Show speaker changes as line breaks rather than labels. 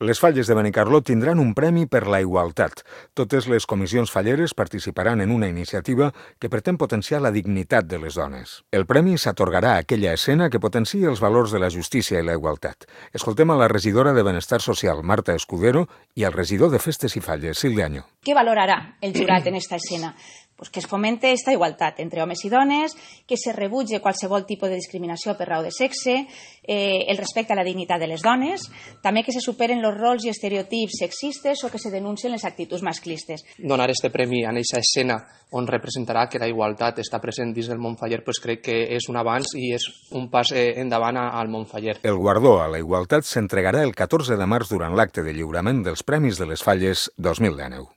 Les Falles de Benicarló tindran un premi per la igualtat. Totes les comissions falleres participaran en una iniciativa que pretén potenciar la dignitat de les dones. El premi s'atorgarà a aquella escena que potenciï els valors de la justícia i la igualtat. Escoltem a la regidora de Benestar Social, Marta Escudero, i al regidor de Festes i Falles, Silvia Añó.
Què valorarà el jurat en esta escena? Pues que es fomente esta igualtat entre homes i dones, que se rebutge qualsevol tipus de discriminació per raó de sexe, el respecte a la dignitat de les dones, també que se superen els rols i estereotips sexistes o que se denuncien les actituds masclistes.
Donar este premi a aquesta escena on representarà que la igualtat està present dins del món faller, pues crec que és un avanç i és un pas endavant al món faller.
El guardó a la igualtat s'entregarà el 14 de març durant l'acte de lliurament dels Premis de les Falles 2019.